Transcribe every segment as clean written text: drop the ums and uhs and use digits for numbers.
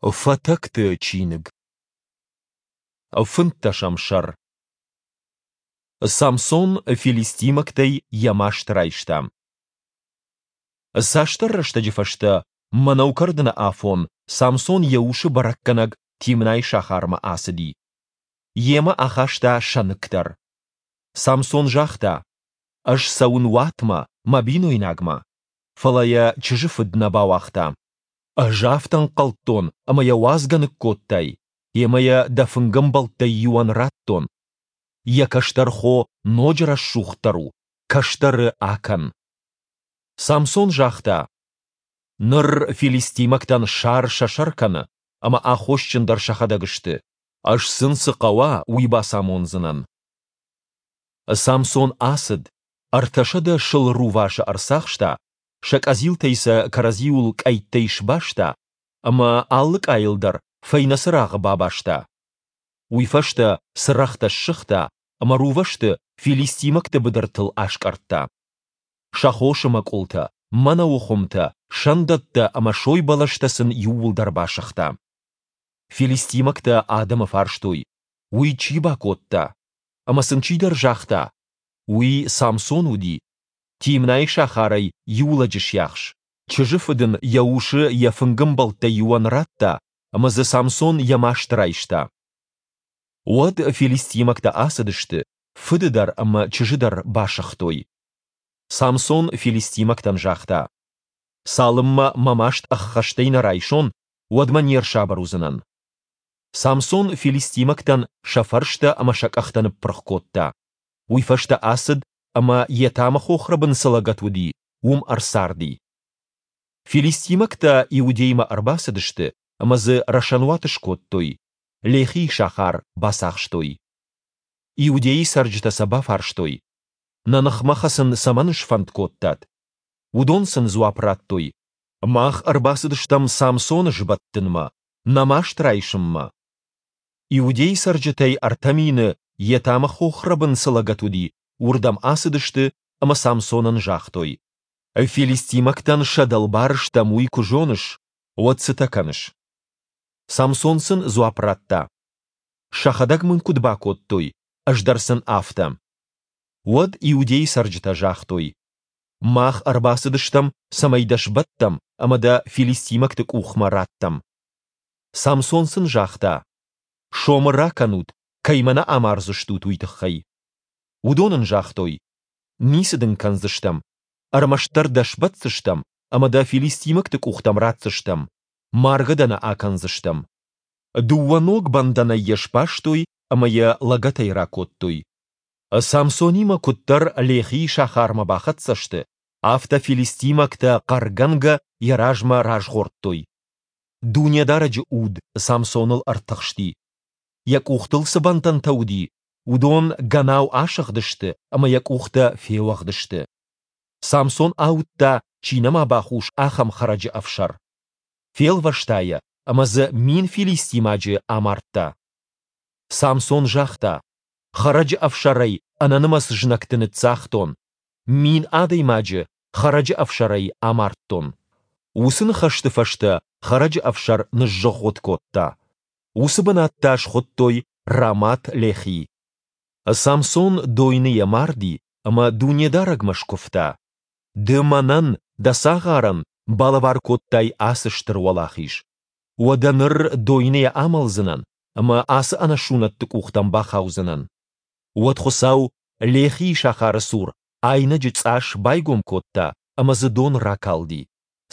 Фатӕгты чиныг. Фынддӕсӕм сӕр. Самсон филистимӕгтӕй йӕ маст райста. Цасдӕр рӕстӕджы фӕстӕ мӕнӕу кӕрдыны афон Самсон йӕ усы бӕрӕггӕнӕг Тимнайы сахармӕ ацыди. Йемӕ ахаста сӕныкк дӕр. Самсон загъта: «Ӕз цӕуын уатмӕ, мӕ бинойнагмӕ». Фӕлӕ йӕ чызджы фыд нӕ бауагъта. Ӕз афтӕ ӕнхъӕлдтон, ӕмӕ йӕ уадзгӕ ныккодтай, йемӕ йӕ дӕ фынгӕмбӕлттӕй иуӕн радтон. Йӕ кӕстӕр хо ноджы рӕсугъддӕр у, кӕстӕры акӕн. Самсон загъта: Ныр филистимӕгтӕн сар сӕ сӕр кӕны, ӕмӕ аххосджын дӕр сӕхӕдӕг сты. Ӕз сын цы хъӕуа, уый бацамондзынӕн. Самсон ацыд, 300 сыл рувасы ӕрцахста, сӕ къӕдзилтӕй сӕ кӕрӕдзиуыл къӕйттӕй сбаста ӕмӕ алы къӕйыл дӕр фӕйнӕ цырагъы бабаста. Уый фӕстӕ цырӕгътӕ ссыгъта ӕмӕ рувӕсты филистимӕгты быдыртыл аскъӕрдта. Сӕ хосы мӕкъуылтӕ, мӕнӕуы хуымтӕ, сӕндӕттӕ ӕмӕ сой бӕлӕстӕ сын иууылдӕр басыгъта. Филистимӕгтӕ адӕмы фарстой, уый чи бакодта? Ӕмӕ сын чидӕр загъта, уый Самсон уыди, Тимнайы сахарӕй иу лӕджы сиахс. Чызджы фыд ын йӕ усы йӕ фынгӕмбӕлттӕй иуӕн радта, ӕмӕ дзы Самсон йӕ маст райста. Уӕд филистимӕгтӕ ацыдысты, фыды дӕр ӕмӕ чызджы дӕр басыгътой. Самсон филистимӕгтӕн загъта: Цалынмӕ мӕ маст ӕххӕстӕй нӕ райсон, уӕдмӕ не рсабыр уыдзынӕн. Самсон филистимӕгтӕн сӕ фӕрстӕ ӕмӕ сӕ къӕхтӕ ныппырх кодта. Уый фӕстӕ ацыд ӕмӕ Етамы хохрӕбын цы лӕгӕт уыди, уым ӕрцарди. Филистимӕгтӕ Иудеймӕ ӕрбацыдысты ӕмӕ дзы рӕсӕнуат скодтой, Лехийы сахар бацахстой. Иудейы цӕрджытӕ сӕ бафарстой: Нӕ ныхмӕ хӕцын цӕмӕн сфӕнд кодтат? Уыдон сын дзуапп радтой: Мах ӕрбацыдыстӕм Самсоны сбӕттынмӕ, нӕ маст райсынмӕ. Иудейы цӕрджытӕй 3000 Етамы хохрӕбын цы лӕгӕт уыди, уырдӕм ацыдысты ӕмӕ Самсонӕн загътой: Филистимӕгтӕн сӕ дӕлбар стӕм, уый куы зоныс, уӕд цытӕ кӕныс? Самсон сын дзуапп радта: Сӕхӕдӕг мын куыд бакодтой, ӕз дӕр сын афтӕ. Уӕд Иудейы цӕрджытӕ загътой: Мах ӕрбацыдыстӕм, цӕмӕй дӕ сбӕттӕм ӕмӕ дӕ филистимӕгты къухмӕ раттӕм. Самсон сын загъта: Сомы ракӕнут, кӕй мӕ нӕ амардзыстут, уый тыххӕй. Уыдон ын загътой: Ницы дын кӕндзыстӕм, ӕрмӕстдӕр дӕ сбӕтдзыстӕм ӕмӕ дӕ филистимӕгты къухтӕм ратдзыстӕм, маргӕ дӕ нӕ акӕндзыстӕм. Дыууӕ ног бӕндӕнӕй йӕ сбастой ӕмӕ йӕ лӕгӕтӕй ракодтой. Самсонимӕ куыддӕр Лехийы сахармӕ бахӕццӕ сты, афтӕ филистимӕгтӕ хъӕргӕнгӕ йӕ размӕ разгъордтой. Дунедарӕджы уд Самсоныл ӕртыхсти. Йӕ къухтыл цы бӕндӕнтӕ уыди, уыдон гӕнау асыгъдысты ӕмӕ йӕ къухтӕ феуӕгъд сты. Самсон ауыдта, чи нӕма бахус, ахӕм хӕрӕджы ӕфсӕр. Фелвӕста йӕ ӕмӕ дзы 1000 филистимаджы амардта. Самсон загъта: Хӕрӕджы ӕфсӕрӕй ӕнӕнымӕц знӕгты ныццагътон, 1000 адӕймаджы хӕрӕджы ӕфсӕрӕй амардтон. Уыцы ныхӕсты фӕстӕ хӕрӕджы ӕфсӕр ныззыгъгъуытт кодта. Уыцы бынат та схуыдтой Рамат-Лехи. Самсон дойныйӕ марди ӕмӕ Дунедарӕгмӕ скуывта: Ды мӕнӕн, дӕ цагъарӕн, балӕвар кодтай ацы стыр уӕлахиз. Уӕдӕ ныр дойныйӕ амӕлдзынӕн ӕмӕ ацы ӕнӕсунӕтты къухтӕм бахаудзынӕн. Уӕд Хуыцау Лехийы сахары цур айнӕджы цъас байгом кодта ӕмӕ дзы дон ракалди.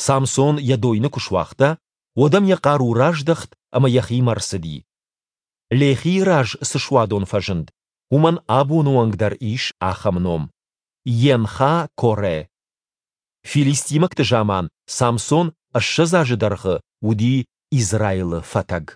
Самсон йӕ дойны куы суагъта, уӕд ӕм йӕ хъару раздӕхт ӕмӕ йӕхимӕ рцыди. Лехийы раз цы суадон фӕзынд, уымӕн абоны онг дӕр ис ахӕм ном: Енха-Коре. Филистимӕгты заман Самсон 20 азы дӕргъы уыди Израилы фӕтӕг.